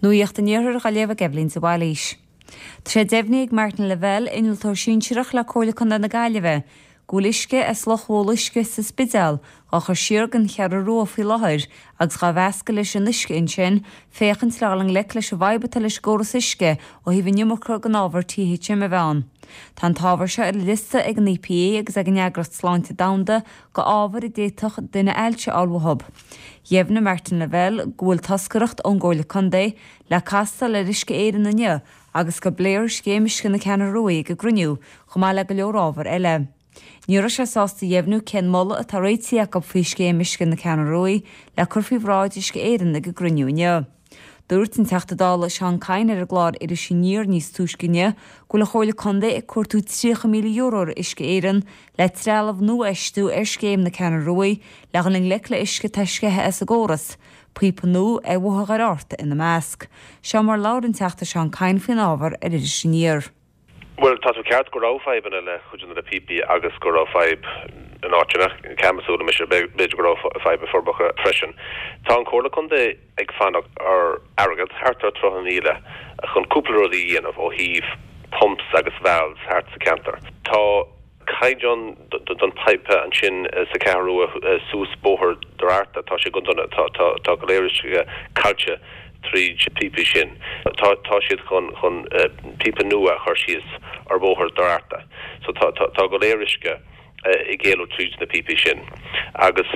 Nuacht an Iarthair á léamh ag Eibhlín de Bhailís. Tá sé deimhnithe ag Martin Lavelle, Innealtóir Sinsearach le Comhairle Contae na Gaillimhe, go bhfuil uisce as Loch Mhóla Uisce sa Spidéal dhá chur siar den Cheathrú Rua faoi láthair agus dhá mheascadh leis an uisce ansin féachaint le dhul i ngleic leis an bhfadhb atá leis an gcóras uisce ó thaobh an iomarca den ábhar THM a bheith ann. Tá an t-ábhar seo ar an liosta ag an EPA agus ag an Eagraíocht Sláinte Domhanda go ábhair a d'fhéadfadh duine ailse a fháil uathu. Dheimhnigh Martin Lavelle go bhfuil toscaireacht ón gComhairle Contae le castáil ar Uisce Éireann inniu agus go bpléifear scéim uisce na Ceathrún Rua ag an gcruinniú, chomh maith le go leor ábhar eile. Ní raibh sé sásta a dheimhniú cén moladh atá réitithe acu faoi scéim uisce na Ceathrún Rua le cur faoi bhráid Uisce Éireann ag an gcruinniú inniu. Dúirt an Teachta Dála Seán Kyne ar an gclár Iris Aniar níos túisce inniu go bhfuil an Chomhairle Contae ag cuartú €30,000 ar Uisce Éireann le trealamh nua a fheistiú ar scéim na Ceathrún Rua le dhul i ngleic le uisce atá sceithe as an gcóras, píopa nua ar Bhóthar Dhoire Fhearta ina measc. Seo mar labhair an Teachta Seán Kyne faoin ábhar ar Iris Aniar. Bhuel, tá tú ceart go raibh fadhbanna le cuid de na píopaí agus go raibh fadhb in áiteanna, Camas, mise, b'fhéidir go raibh fadhb i Forbacha freisin. Tá an Chomhairle Contae ag fanacht ar airgead, thart ar 30,000, chun cúpla rud a dhéanamh ó thaobh pumps agus valves thart sa cheantar. Tá. caighdeán don pipe ansin sa Cheathrú Rua suas Bóthar Doire Fhearta, tá sé go dona, tá go leor uisce caillte tríd píopaí sin. Tá tá siad chun chun píopa nua a chur síos ar Bhóthar Doire Fhearta. So tá tá go leor uisce ag éalú tríd na píopaí sin agus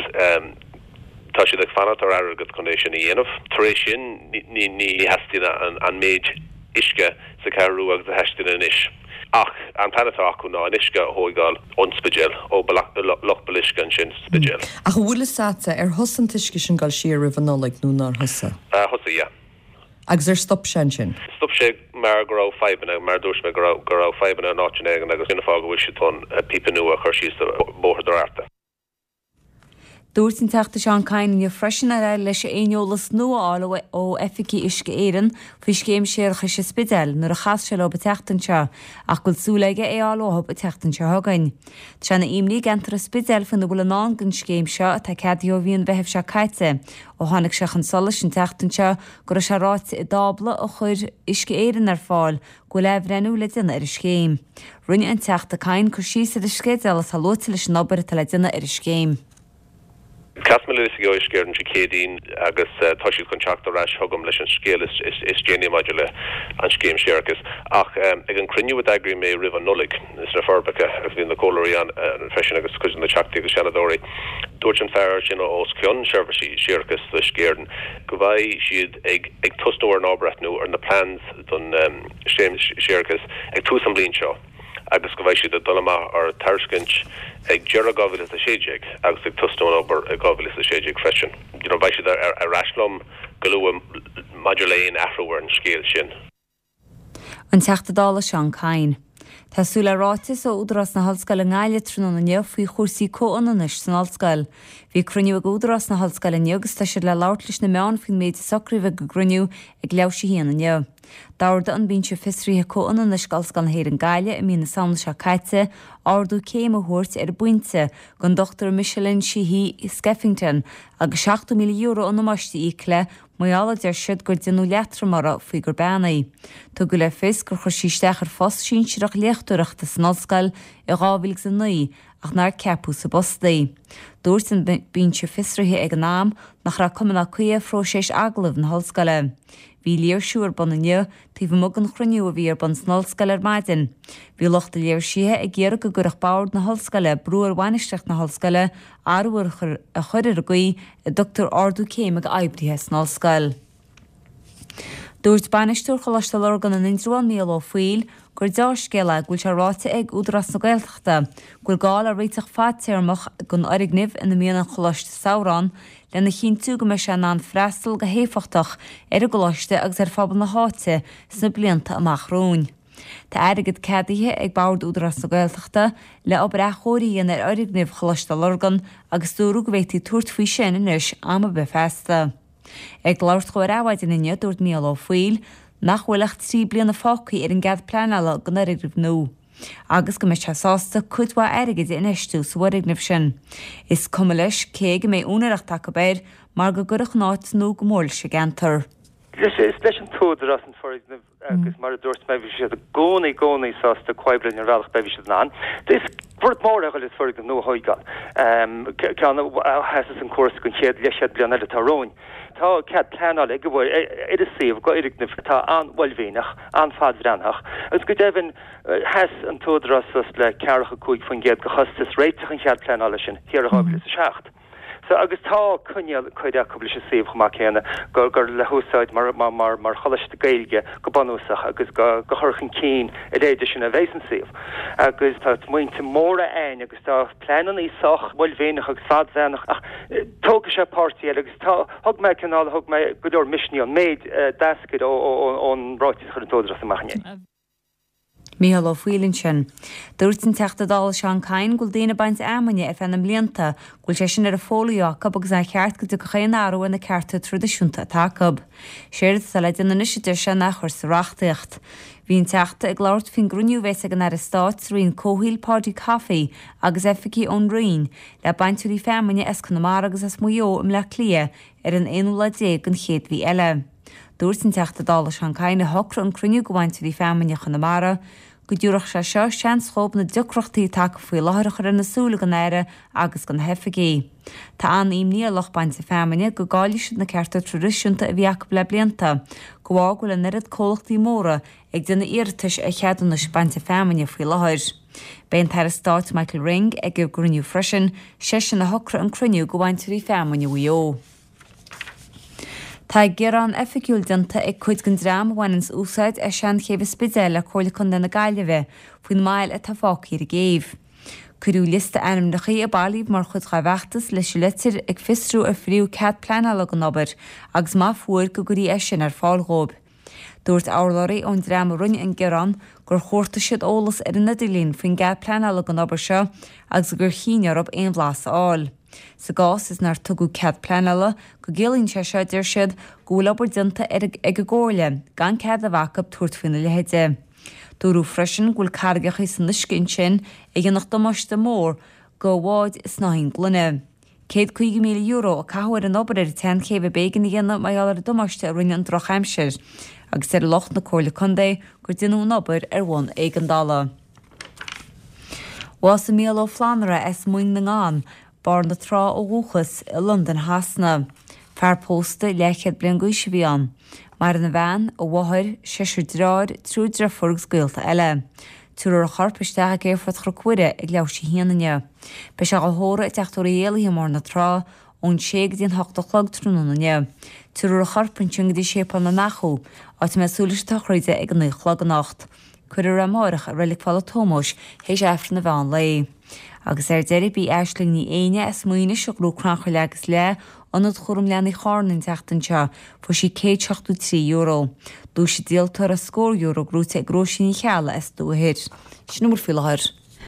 tá siad ag fanacht ar airgead chun é sin a dhéanamh. Tar éis sin ní ní theastaíonn an méid uisce sa Cheathrú Rua agus a theastaíonn anois. Ach an plean atá acu ná an uisce a thóigeáil ón Spidéal, ó Loch Boluisce ansin sa Spidéal. Ach an bhfuil fhios a'dsa, ar thosaigh an t-uisce sin ag dul siar roimh an Nollaig nó nár thosaigh? Thosaigh, yeah. Agus ar stop sé ansin? Stop sé mar go raibh fadhbanna, mar a dúirt mé, go raibh, go raibh fadhbanna in áiteanna éigin agus sin an fáth go bhfuil siad chun píopa nua a chur síos do Bhóthar Doire Fhearta. Dúirt an Teachta Seán Kyne inniu freisin nár éirigh leis aon eolas nua a fháil ó oifigigh Uisce Éireann faoi scéim séarachais an Spidéil nuair a chas sé leo an tseachtain seo ach go bhfuil súil aige é a fháil uathu an tseachtain seo chugainn. Tá sé ina imní i gceantar an Spidéil faoina bhfuil i ndán don scéim seo atá ceadaithe ó mhí an Mheithimh seo caite ó tháinig sé chun solais an tseachtain seo go raibh sé ráite i dtábla a chuir Uisce Éireann ar fáil go bhfuil athbhreithniú le déanamh ar an scéim. Rinne an Teachta Kyne cur síos ar an sceideal atá luaite leis an obair atá le déanamh ar an scéim. Chas mé le oifigigh ó Uisce Éireann Dé Céadaoin agus tá siad chun teacht ar ais chugam leis an scéal is déanaí maidir le an scéim séarachais. Ach ag an cruinniú a d'eagraigh mé roimh an Nollaig sna Forbacha, agus bhí na comhairleoirí ann freisin agus cuid de na Teachtaí agus Seanadóirí, dúirt an fear sin os cionn seirbhísí séarachais do Uisce Éireann go mbeidh siad ag tosnú ar an athbhreithniú ar na plans don scéim séarachais ag tús an bhliain seo agus go mbeidh siad ag dul amach ar tairiscint ag deireadh 2016 agus ag tosnú an obair i 2016 freisin. You know, beidh siad ar ais liom go luath maidir le aon athrú ar an scéal sin. An Teachta Dála Seán Kyne. Tá súil le ráiteas ó Údarás na hOllscoile i nGaillimh tráthnóna inniu faoi chúrsaí comhionannais san ollscoil. Bhí cruinniú ag Údarás na hOllscoile inniu agus tá siad le labhairt leis na meáin faoin méid a socraíodh ag an gcruinniú ag leathuair théis a haon inniu. D'ordaigh an Binse Fiosraithe Comhionannais d'Ollscoil na hÉireann Gaillimh i mí na Samhna seo caite ardú céime a thabhairt ar an bpointe don Dr Micheline Sheehy Skeffington agus €70,000 i ndamáiste a íoc léi Mar gheall, a deir siad, gur déanadh leatrom uirthi faoi gur bean í. Tugadh le fios gur chuir sí isteach ar phost sinsearach léachtóireachta san ollscoil i 2009 ach nár ceapadh sa bpost í. Dúirt an Binse Fiosraithe ag an am nach raibh cuma ná caoi ar phróiseas agallaimh na hollscoile. Bhí léirsiú ar bun inniu taobh amuigh den chruinniú a bhí ar bun san ollscoil ar maidin. Bhí lucht an léirsithe ag iarraidh go gcuirfeadh bord na hollscoile brú ar bhainistíocht na hollscoile athrú a chur ar an gcaoi a dtugtar ardú céime d'oibrithe san ollscoil. Dúirt bainisteoir Choláiste Lurgan in Indreabhán, Mícheál Ó Foighil, gur deá-scéal é go bhfuil sé ráite ag Údarás na Gaeltachta go bhfuil gá le réiteach fadtéarmach don fhoirgneamh ina mbíonn an Choláiste Samhraidh ann lena chinntiú go mbeidh sé in ann freastal go héifeachtach ar an gcoláiste agus ar phobal na háite sna blianta amach romhainn. Tá airgead ceadaithe ag Bord Údarás na Gaeltachta le obair athchóirithe a dhéanamh ar fhoirgneamh Choláiste Lurgan agus dúradh go bhféadfaí tabhairt faoi sin anois am ar bith feasta. Ag labhairt dhó ar Adhmhaidin inniu, dúirt Mícheál Ó Foighil nach bhfuil ach 3 bliana fágtha ar an gcead pleanála don fhoirgneamh nua agus go mbeidh sé sásta cuid mhaith airgid a infheistiú sa bhfoirgneamh sin. Is cuma leis cé aige a mbeidh úinéireacht acu air mar go gcuirfeadh an áit nua go mór leis an gceantar. Is leis an t-údarás an foirgneamh agus mar a dúirt mé bhí siad i gcónaí, gcónaí sásta comhoibriú linn ar bhealach ar bith a bhí siad in ann. Is rud mór é a dhul is foirgneamh nua a thóigeáil, ceann a sheasas an cúrsa don chéad leathchéad bliain eile atá romhainn. Tá cead pleanála ag gabháil ar an suíomh go fhoirgneamh atá an-uaillmhianach, an-fhadbhreathnaitheach agus go deimhin sheas an t-údarás suas le 45% de chostas réiteach an chead pleanála sin thiar i 2007. So, agus tá coinníoll curtha acu leis an suíomh chomh maith céanna gur gur le húsáid mar mar mar mar choláiste Gaeilge go bunúsach agus go go chur chun cinn a leithéide sin a bheas an suíomh. Agus tá smaointe móra a'ainn agus tá pleanannaí sách uaillmhianach agus fadbhreathnach ach tógfaidh sé páirtí eile agus tá thug mé cineál thug mé go leor misnigh an méid a d'eascair ó ó ón ráiteas a chuir an t-údarás amach inné. Micheál Ó Foighil ansin. Dúirt an Teachta Dála Seán Kyne go bhfuil daoine ag baint fheamainne ar feadh na mblianta, go bhfuil sé sin ar a fólaí acu agus nár cheart go dtiocfadh aon athrú ar na cearta traidisiúnta atá acu. Séard atá le déanamh anois a deir sé ná a chur sa reachtaíocht. Bhí an Teachta ag labhairt faoin gcruinniú a bheas ag an Aire Stáit sa Roinn Comhshaoil Paudie Coffey agus oifigigh ón Roinn le bainteoirí feamainne as Conamara agus as Maigh Eo i mBleá Cliath ar an aonú lá déag den chéad mhí eile. Dúirt an Teachta Dála Seán Kyne a shocraigh an cruinniú go bhainteoirí feamainne Chonamara, go dtabharfadh sé seo seans dhóibh na deacrachtaí atá acu faoi láthair a chur ar na súile don Aire agus do na hoifigigh. Tá an-imní ar lucht bainte feamainne go gcaillfidh siad na cearta traidisiúnta a bhí acu le blianta, de bharr go bhfuil an oiread comhlachtaí móra ag déanamh iarratais ar cheadúnais bainte feamainne faoi láthair. Beidh an tAire Stáit Michael Ring ag an gcruinniú freisin, seisean a shocraigh an cruinniú go bhainteoirí feamainne Mhaigh Eo. Tá gearán oifigiúil déanta ag cuid den dream a bhaineanns úsáid as Seanchéibh an Spidéil le Comhairle Contae na Gaillimhe faoin mbail atá fágtha ar an gcéibh. Cuireadh liosta ainmneacha a bailíodh mar chuid dá bhfeachtas leis an litir ag fiosrú ar fuaireadh cead pleanála don obair agus má fuair go gcuirfí é sin ar fáil dhóibh. Dúirt urlabhraí ón dream a rinne an gearán gur chuartaigh siad eolas ar an idirlíon faoin gcead pleanála don obair seo agus gur chinn orthu aon bhlas a fháil. Sa gcás is nár tugadh cead pleanála, go gciallaíonn sé seo, deir siad, go bhfuil obair déanta ag an gComhairle gan cead a bheith acu tabhairt faoina leithéide. Dúradh freisin go bhfuil carraigeacha san uisce ansin a dhéanfadh damáiste mór go bháid snáithín gloine. €150,000 a caitheadh ar an obair ar an tSeanchéibh a b'éigean a dhéanamh mar gheall ar an damáiste a rinne an drochaimsir, agus deir lucht na Comhairle Contae gur déanadh an obair ar bhonn éigeandála. Bhásaigh Mícheál Ó Flannúra as Moing na nGann, Barr na Trá ó dhúchas, i Londain Shasana. Fear pósta, leathchéad bliain d'aois a bhí ann. Maireann a bhean, a mháthair, seisear deartháir, triúr deirfiúr agus gaolta eile. Tabharfar a chorp isteach ag Aerfort Chnoc Mhuire ag leathuair tar éis a haon inniu. Beidh sé á thórramh i dTeach Tórraimh Uí Éalaithe i mBarr na Trá ón sé go dtí an hocht a chlog tráthnóna inniu. Tabharfar a chorp ansin go dtí Séipéal na nAchadh, áit a mbeidh súil leis an tsochraid ag a naoi a chlog anocht. Cuirfear é amáireach i Reilig Phála Tómóis théis Aifreann an mheán lae. Agus ar deireadh b'í Aisling Ní Éinne as Maínis a ghnóthaigh Crannchur Leath agus Leath, Ionad Chúram Leanaí Chárna an tseachtain seo, fuair sí €173. Duais an díoltóra, scór euro, gnóite ag Róisín Ní Cheallaigh as Dumha Thoir. Sin a bhfuil faoi láthair.